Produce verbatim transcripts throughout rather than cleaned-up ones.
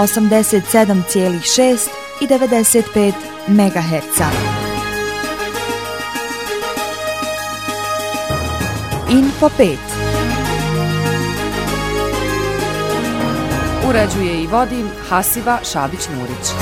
osamdeset sedam zarez šest i devedeset pet megaherca. Info pet. Uređuje i vodi Hasiba Šabić-Nurić.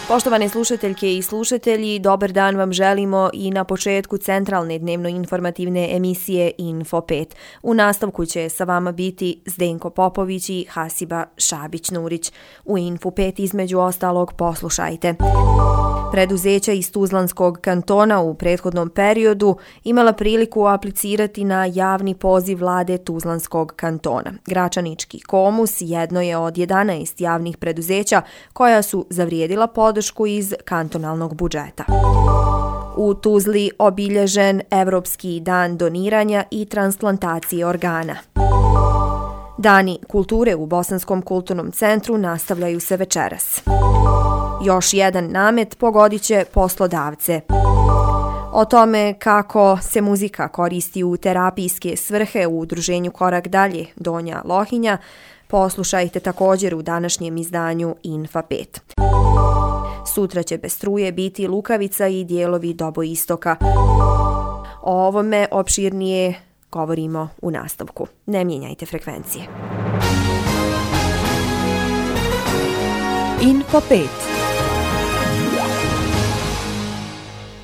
Poštovane slušateljke i slušatelji, dobar dan vam želimo i na početku centralne dnevno-informativne emisije Info pet. U nastavku će sa vama biti Zdenko Popović i Hasiba Šabić-Nurić. U Info pet između ostalog poslušajte. Preduzeća iz Tuzlanskog kantona u prethodnom periodu imala priliku aplicirati na javni poziv vlade Tuzlanskog kantona. Gračanički Komus jedno je od jedanaest javnih preduzeća koja su zavrijedila podršku iz kantonalnog budžeta. U Tuzli obilježen Evropski dan doniranja i transplantacije organa. Dani kulture u Bosanskom kulturnom centru nastavljaju se večeras. Još jedan namet pogodit će poslodavce. O tome kako se muzika koristi u terapijske svrhe u udruženju Korak dalje Donja Lohinja poslušajte također u današnjem izdanju Info pet. Sutra će bez struje biti Lukavica i dijelovi Doboistoka. O ovome opširnije govorimo u nastavku. Ne mijenjajte frekvencije. Info pet.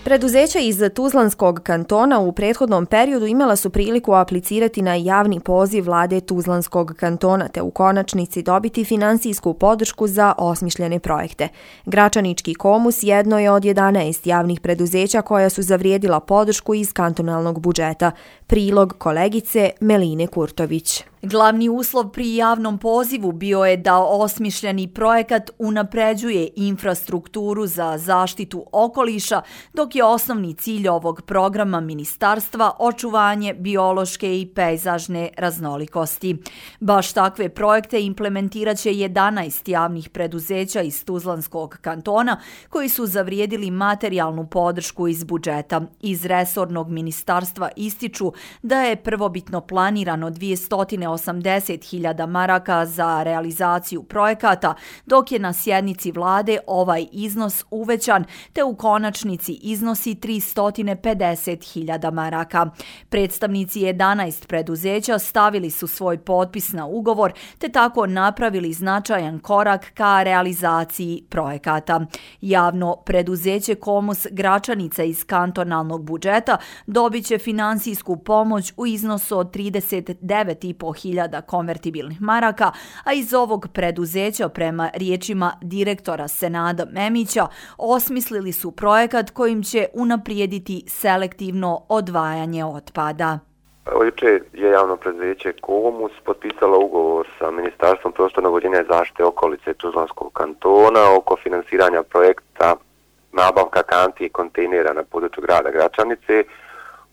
Preduzeća iz Tuzlanskog kantona u prethodnom periodu imala su priliku aplicirati na javni poziv vlade Tuzlanskog kantona te u konačnici dobiti finansijsku podršku za osmišljene projekte. Gračanički Komus jedno je od jedanaest javnih preduzeća koja su zavrijedila podršku iz kantonalnog budžeta. Prilog kolegice Meline Kurtović. Glavni uslov pri javnom pozivu bio je da osmišljeni projekat unapređuje infrastrukturu za zaštitu okoliša, dok je osnovni cilj ovog programa ministarstva očuvanje biološke i pejzažne raznolikosti. Baš takve projekte implementirat će jedanaest javnih preduzeća iz Tuzlanskog kantona koji su zavrijedili materijalnu podršku iz budžeta. Iz resornog ministarstva ističu da je prvobitno planirano dvjesto osamdeset hiljada maraka za realizaciju projekata, dok je na sjednici vlade ovaj iznos uvećan te u konačnici iznosi tristo pedeset hiljada maraka. Predstavnici jedanaest preduzeća stavili su svoj potpis na ugovor te tako napravili značajan korak ka realizaciji projekata. Javno preduzeće Komus Gračanica iz kantonalnog budžeta dobit će finansijsku pomoć u iznosu od trideset devet i po hiljada konvertibilnih maraka, a iz ovog preduzeća prema riječima direktora Senada Memića osmislili su projekat kojim će unaprijediti selektivno odvajanje otpada. Jučer je javno preduzeće Komus potpisalo ugovor sa Ministarstvom prostornog uređenja i zaštite okolice Tuzlanskog kantona oko finansiranja projekta nabavka kanti i kontejnera na području grada Gračanice.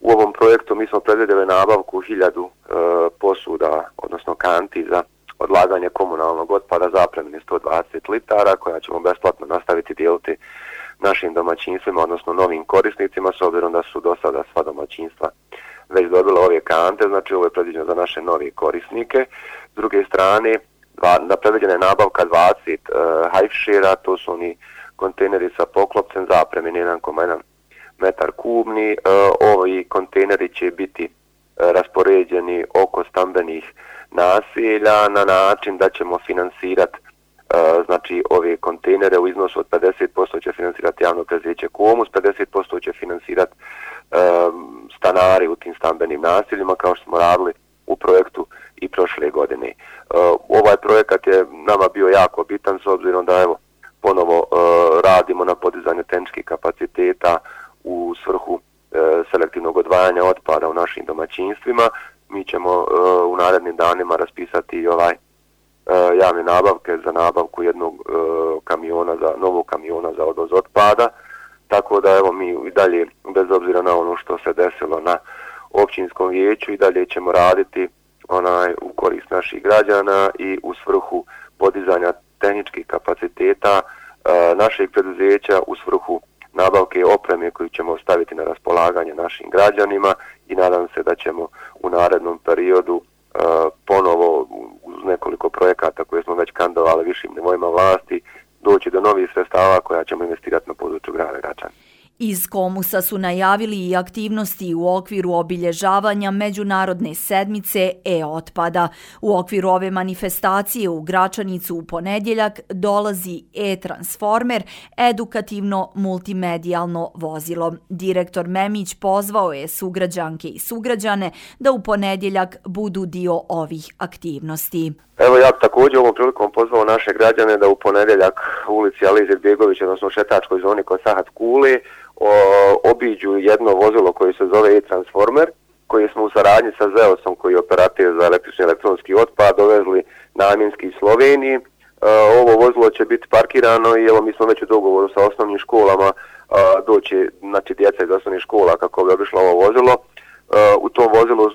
U ovom projektu mi smo predvidjeli nabavku hiljadu e, posuda, odnosno kanti za odlaganje komunalnog otpada zapremine sto dvadeset litara, koja ćemo besplatno nastaviti dijeliti našim domaćinstvima, odnosno novim korisnicima, s obzirom da su do sada sva domaćinstva već dobila ove kante, znači ovo je predviđeno za naše nove korisnike. S druge strane, dva, predviđena je nabavka dvadeset e, hajfšera, to su oni kontejneri sa poklopcem zapremine jedan zarez jedan metar kubni. E, ovi kontejneri će biti e, raspoređeni oko stambenih naselja na način da ćemo finansirati e, znači ove kontejnere u iznosu od pedeset posto će finansirati javno preduzeće Komus, pedeset posto će finansirati e, stanari u tim stambenim naseljima, kao što smo radili u projektu i prošle godine. E, ovaj projekat je nama bio jako bitan s obzirom da evo ponovo e, radimo na podizanju tehničkih kapaciteta u svrhu e, selektivnog odvajanja otpada u našim domaćinstvima. Mi ćemo e, u narednim danima raspisati i ovaj e, javne nabavke za nabavku jednog e, kamiona, za novog kamiona za odvoz otpada. Tako da evo mi i dalje, bez obzira na ono što se desilo na općinskom vijeću, i dalje ćemo raditi onaj u korist naših građana i u svrhu podizanja tehničkih kapaciteta e, našeg preduzeća, u svrhu nabavke opreme koju ćemo staviti na raspolaganje našim građanima, i nadam se da ćemo u narednom periodu e, ponovo uz nekoliko savjetovali višim nivoima vlasti, doći do novih sredstava koja ćemo investirati na području grada Gračani. Iz Komusa su najavili i aktivnosti u okviru obilježavanja Međunarodne sedmice e-otpada. U okviru ove manifestacije u Gračanicu u ponedjeljak dolazi e-transformer, edukativno multimedijalno vozilo. Direktor Memić pozvao je sugrađanke i sugrađane da u ponedjeljak budu dio ovih aktivnosti. Evo ja također ovom prilikom pozvao naše građane da u ponedjeljak u ulici Alije Izetbegovića, odnosno u šetačkoj zoni kod Sahat Kule, o, obiđu jedno vozilo koje se zove e-transformer, koji smo u saradnji sa Zeosom, koji je operator za električni elektronski otpad, dovezli namjenski iz Sloveniji. E, ovo vozilo će biti parkirano i evo mi smo već u dogovoru sa osnovnim školama, e, doći znači djeca iz osnovnih škola kako bi obišlo ovo vozilo. U tom vozilu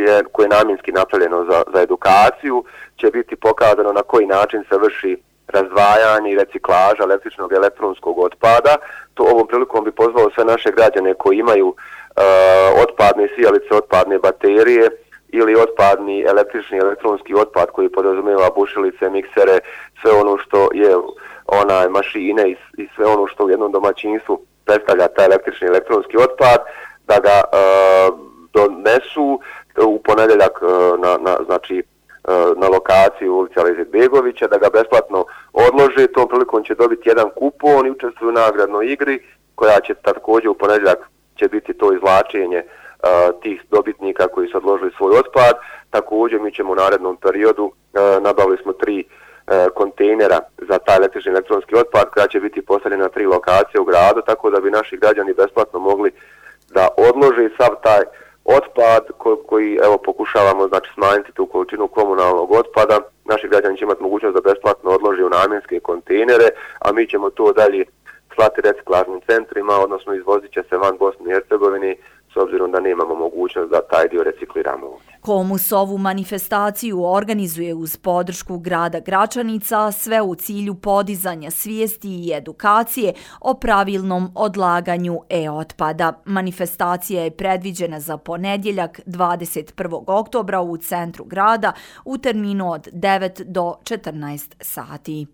je, koje je namjenski napravljeno za, za edukaciju, će biti pokazano na koji način se vrši razdvajanje i reciklaža električnog i elektronskog otpada. To ovom prilikom bi pozvao sve naše građane koji imaju uh, otpadne sijalice, otpadne baterije ili otpadni električni i elektronski otpad koji podrazumijeva bušilice, miksere, sve ono što je onaj mašine i, i sve ono što u jednom domaćinstvu predstavlja taj električni i elektronski otpad, da ga uh, donesu u ponedjeljak na, na, znači, na lokaciju ulici Alije Izetbegovića, da ga besplatno odlože. Tom prilikom će dobiti jedan kupon i učestvuju u nagradnoj igri koja će također u ponedjeljak će biti to izvlačenje uh, tih dobitnika koji su odložili svoj otpad. Također mi ćemo u narednom periodu, uh, nabavili smo tri uh, kontejnera za taj električni elektronski otpad koja će biti postavljena na tri lokacije u gradu, tako da bi naši građani besplatno mogli da odlože sav taj otpad koji evo pokušavamo znači smanjiti tu količinu komunalnog otpada. Naši građani će imati mogućnost da besplatno odlože u namjenske kontejnere, a mi ćemo to dalje slati reciklažnim centrima, odnosno izvozit će se van Bosne i Hercegovine s obzirom da nemamo mogućnost da taj dio recikliramo ovdje. Komus ovu manifestaciju organizuje uz podršku grada Gračanica, sve u cilju podizanja svijesti i edukacije o pravilnom odlaganju e-otpada. Manifestacija je predviđena za ponedjeljak dvadeset prvog oktobra u centru grada u terminu od devet do četrnaest sati.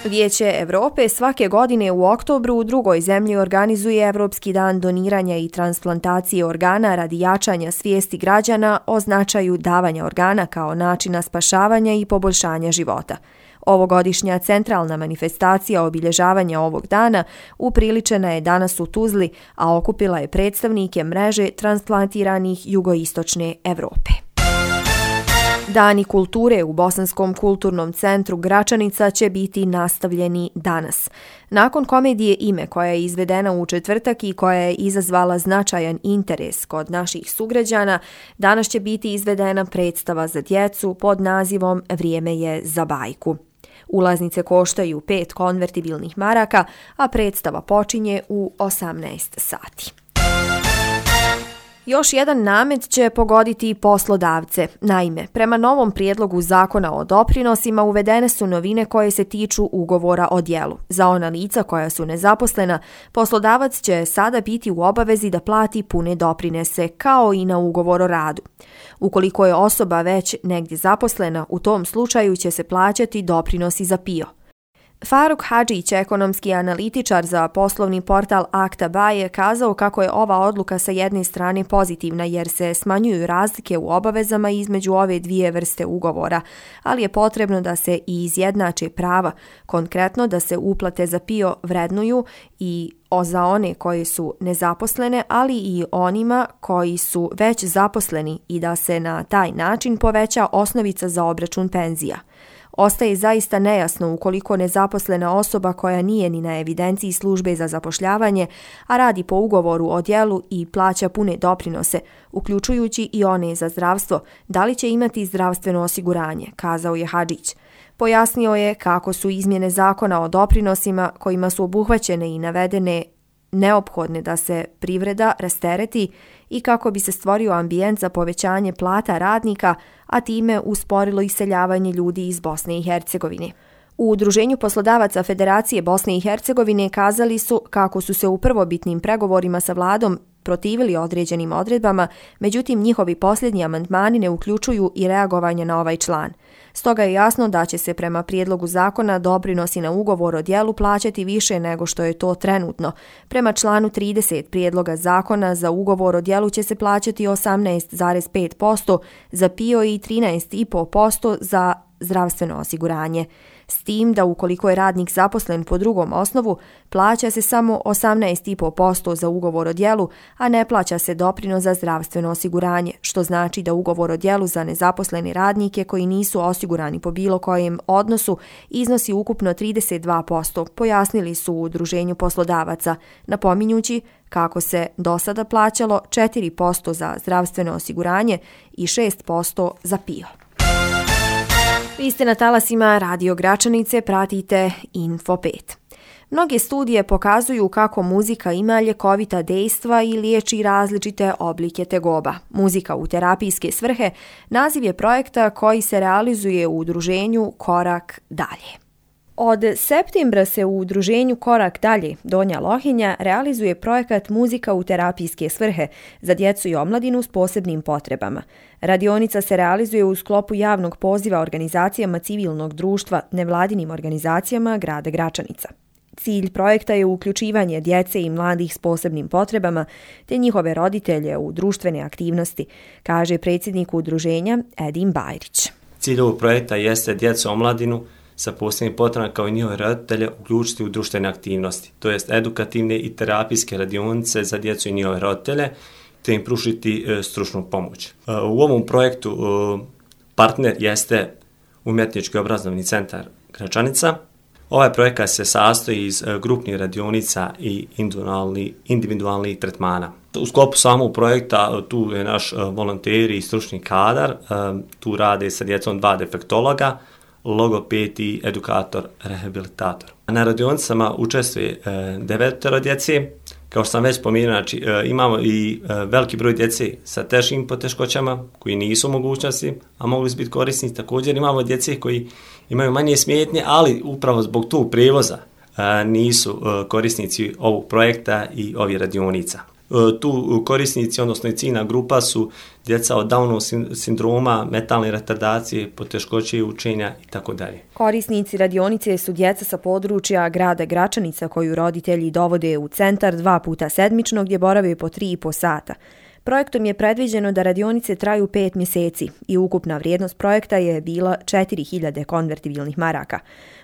Vijeće Evrope svake godine u oktobru u drugoj zemlji organizuje Evropski dan doniranja i transplantacije organa radi jačanja svijesti građana o značaju davanja organa kao načina spašavanja i poboljšanja života. Ovogodišnja centralna manifestacija obilježavanja ovog dana upriličena je danas u Tuzli, a okupila je predstavnike mreže transplantiranih jugoistočne Evrope. Dani kulture u Bosanskom kulturnom centru Gračanica će biti nastavljeni danas. Nakon komedije Ime koja je izvedena u četvrtak i koja je izazvala značajan interes kod naših sugrađana, danas će biti izvedena predstava za djecu pod nazivom Vrijeme je za bajku. Ulaznice koštaju pet konvertibilnih maraka, a predstava počinje u osamnaest sati. Još jedan namet će pogoditi poslodavce. Naime, prema novom prijedlogu zakona o doprinosima uvedene su novine koje se tiču ugovora o djelu. Za ona lica koja su nezaposlena, poslodavac će sada biti u obavezi da plati pune doprinose, kao i na ugovor o radu. Ukoliko je osoba već negdje zaposlena, u tom slučaju će se plaćati doprinosi za P I O. Faruk Hadžić, ekonomski analitičar za poslovni portal Akta.ba, je kazao kako je ova odluka sa jedne strane pozitivna jer se smanjuju razlike u obavezama između ove dvije vrste ugovora, ali je potrebno da se i izjednače prava, konkretno da se uplate za P I O vrednuju i o za one koji su nezaposlene, ali i onima koji su već zaposleni i da se na taj način poveća osnovica za obračun penzija. Ostaje zaista nejasno ukoliko nezaposlena osoba koja nije ni na evidenciji službe za zapošljavanje, a radi po ugovoru o djelu i plaća pune doprinose, uključujući i one za zdravstvo, da li će imati zdravstveno osiguranje, kazao je Hadžić. Pojasnio je kako su izmjene zakona o doprinosima kojima su obuhvaćene i navedene neophodne da se privreda rastereti i kako bi se stvorio ambijent za povećanje plata radnika, a time usporilo iseljavanje ljudi iz Bosne i Hercegovine. U Udruženju poslodavaca Federacije Bosne i Hercegovine kazali su kako su se u prvobitnim pregovorima sa vladom protivili određenim odredbama, međutim njihovi posljednji amandmani ne uključuju i reagovanje na ovaj član. Stoga je jasno da će se prema prijedlogu zakona doprinosi na ugovor o djelu plaćati više nego što je to trenutno. Prema članu trideset prijedloga zakona za ugovor o djelu će se plaćati osamnaest zarez pet posto za P I O i trinaest zarez pet posto za zdravstveno osiguranje. S tim da ukoliko je radnik zaposlen po drugom osnovu, plaća se samo osamnaest zarez pet posto za ugovor o djelu, a ne plaća se doprinos za zdravstveno osiguranje, što znači da ugovor o djelu za nezaposlene radnike koji nisu osigurani po bilo kojem odnosu iznosi ukupno trideset dva posto, pojasnili su u Udruženju poslodavaca, napominjući kako se do sada plaćalo četiri posto za zdravstveno osiguranje i šest posto za P I O. Vi ste na talasima Radio Gračanice, pratite Info pet. Mnoge studije pokazuju kako muzika ima ljekovita dejstva i liječi različite oblike tegoba. Muzika u terapijske svrhe naziv je projekta koji se realizuje u udruženju Korak dalje. Od septembra se u udruženju Korak dalje Donja Lohinja realizuje projekat Muzika u terapijske svrhe za djecu i omladinu s posebnim potrebama. Radionica se realizuje u sklopu javnog poziva organizacijama civilnog društva, nevladinim organizacijama grada Gračanica. Cilj projekta je uključivanje djece i mladih s posebnim potrebama te njihove roditelje u društvene aktivnosti, kaže predsjednik udruženja Edin Bajrić. Cilj ovog projekta jeste djecu i omladinu sa posebnim potrebama kao i njihove roditelje uključiti u društvene aktivnosti, to jest edukativne i terapijske radionice za djecu i njihove roditelje, te im pružiti e, stručnu pomoć. E, u ovom projektu e, partner jeste Umjetnički obrazovni centar Gračanica. Ovaj projekat se sastoji iz e, grupnih radionica i individualnih individualnih tretmana. U sklopu samog projekta tu je naš e, volonteri i stručni kadar, e, tu rade sa djecom dva defektologa, logoped i edukator, rehabilitator. Na radionicama učestvuje e, devetero djece. Kao što sam već spomenuo, znači, e, imamo i e, veliki broj djece sa težim poteškoćama koji nisu u mogućnosti, a mogli su biti korisni. Također imamo djece koji imaju manje smetnje, ali upravo zbog tog prijevoza e, nisu e, korisnici ovog projekta i ovih radionica. Tu korisnici, odnosno i ciljna grupa su djeca od Downovog sindroma, mentalne retardacije, poteškoće učenja itd. Korisnici radionice su djeca sa područja grada Gračanica koju roditelji dovode u centar dva puta sedmično gdje borave po tri i po sata. Projektom je predviđeno da radionice traju pet mjeseci i ukupna vrijednost projekta je bila četiri hiljade konvertibilnih maraka.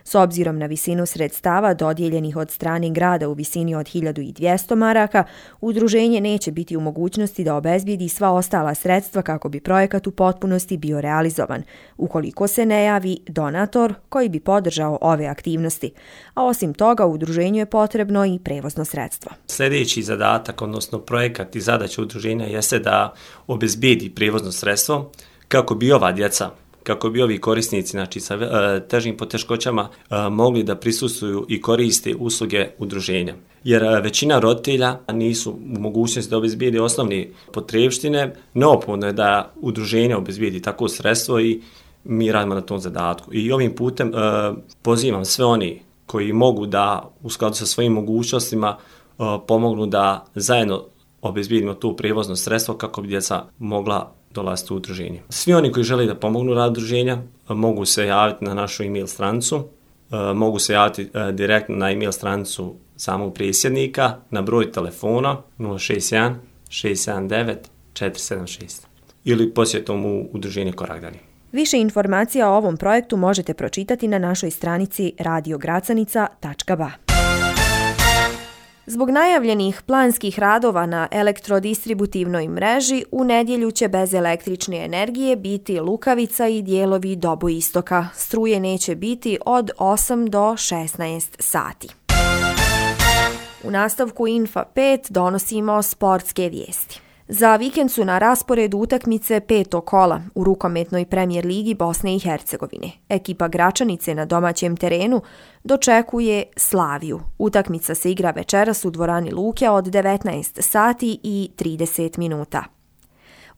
S obzirom na visinu sredstava dodijeljenih od strane grada u visini od hiljadu dvjesto maraka, udruženje neće biti u mogućnosti da obezbijedi sva ostala sredstva kako bi projekat u potpunosti bio realizovan, ukoliko se ne javi donator koji bi podržao ove aktivnosti. A osim toga, udruženju je potrebno i prevozno sredstvo. Sljedeći zadatak, odnosno projekat i zadaća udruženja jeste da obezbijedi prevozno sredstvo kako bi ova djeca, kako bi ovi korisnici, znači sa e, težim poteškoćama, e, mogli da prisustvuju i koriste usluge udruženja. Jer e, većina roditelja nisu u mogućnosti da obezbijedi osnovne potrebštine, neophodno je da udruženje obezbijedi takvo sredstvo i mi radimo na tom zadatku. I ovim putem e, pozivam sve oni koji mogu da u skladu sa svojim mogućnostima e, pomognu da zajedno obezbijedimo to prijevozno sredstvo kako bi djeca mogla dolaziti u udruženje. Svi oni koji žele da pomognu rad udruženja mogu se javiti na našu e-mail stranicu, mogu se javiti direktno na e-mail stranicu samog predsjednika na broj telefona nula šest jedan šest sedam devet četiri sedam šest ili posjetom u udruženje Korak dalje. Više informacija o ovom projektu možete pročitati na našoj stranici radio gracanica tačka ba. Zbog najavljenih planskih radova na elektrodistributivnoj mreži, u nedjelju će bez električne energije biti Lukavica i dijelovi Doboistoka. Struje neće biti od osam do šesnaest sati. U nastavku Info pet donosimo sportske vijesti. Za vikend su na rasporedu utakmice petog kola u rukometnoj premijer ligi Bosne i Hercegovine. Ekipa Gračanice na domaćem terenu dočekuje Slaviju. Utakmica se igra večeras u dvorani Luke od devetnaest sati i trideset minuta.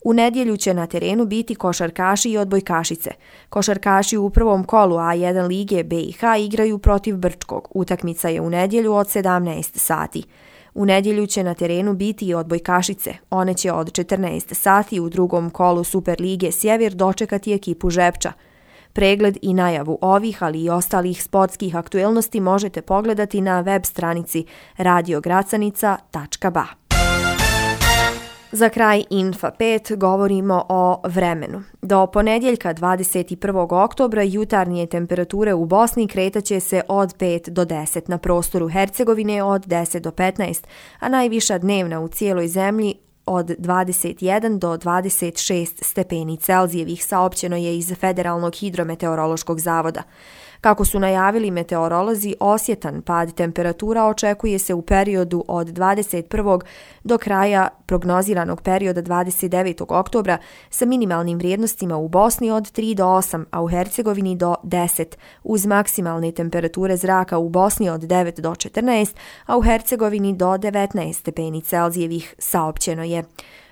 U nedjelju će na terenu biti košarkaši i odbojkašice. Košarkaši u prvom kolu A jedan lige B i H igraju protiv Brčkog. Utakmica je u nedjelju od sedamnaest sati. U nedjelju će na terenu biti i odbojkašice. One će od četrnaest sati u drugom kolu Super lige Sjever dočekati ekipu Žepča. Pregled i najavu ovih, ali i ostalih sportskih aktuelnosti možete pogledati na web stranici radio gracanica tačka ba. Za kraj Infa pet govorimo o vremenu. Do ponedjeljka dvadeset prvog oktobra jutarnje temperature u Bosni kretaće se od pet do deset, na prostoru Hercegovine od deset do petnaest, a najviša dnevna u cijeloj zemlji od dvadeset jedan do dvadeset šest stepeni Celzijevih, saopćeno je iz Federalnog hidrometeorološkog zavoda. Kako su najavili meteorolozi, osjetan pad temperatura očekuje se u periodu od dvadeset prvog do kraja prognoziranog perioda dvadeset devetog oktobra sa minimalnim vrijednostima u Bosni od tri do osam, a u Hercegovini do deset, uz maksimalne temperature zraka u Bosni od devet do četrnaest, a u Hercegovini do devetnaest stepeni Celzijevih, saopćeno je.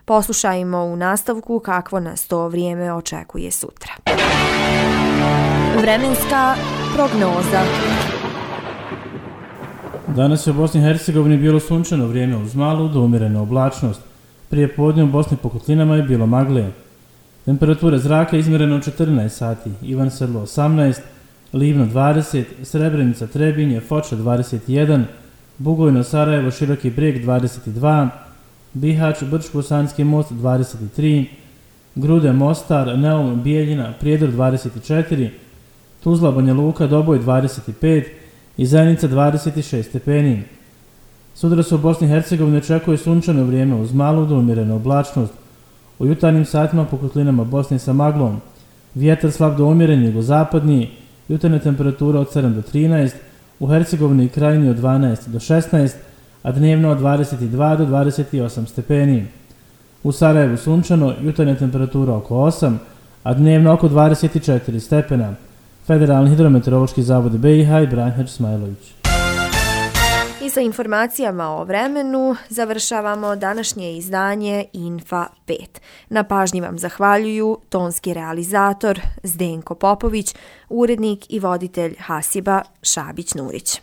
Poslušajmo u nastavku kakvo nas to vrijeme očekuje sutra. Vremenska prognoza. Danas je u Bosni i Hercegovini bilo sunčano vrijeme uz malu do umjerenu oblačnost. Prije podne u Bosni po kotlinama je bilo magle. Temperatura zraka izmjerena u četrnaest sati, Ivan Sedlo osamnaest, Livno dvadeset, Srebrenica, Trebinje, Foča dvadeset jedan, Bugojno, Sarajevo, Široki Brijeg dvadeset dva, Bihać, Brčko-Sanski most dvadeset tri, Grude, Mostar, Neum, Bijeljina, Prijedor dvadeset četiri, Tuzla, Banja Luka, Doboj dvadeset pet i Zenica dvadeset šest stepeni. Sutra se u Bosni i Hercegovini očekuje sunčano vrijeme uz malu do umjerenu oblačnost. U jutarnjim satima po kotlinama Bosne sa maglom. Vjetar slab do umjeren jugozapadni, jutarnja temperatura od sedam do trinaest, u Hercegovini i Krajini od dvanaest do šesnaest, a dnevno od dvadeset dva do dvadeset osam stepeni. U Sarajevu sunčano, jutarnja temperatura oko osam, a dnevno oko dvadeset četiri stepena. Federalni hidrometeorološki zavod B i H i Branhać Smajlović. I sa informacijama o vremenu završavamo današnje izdanje Infa pet. Na pažnji vam zahvaljuju tonski realizator Zdenko Popović, urednik i voditelj Hasiba Šabić-Nurić.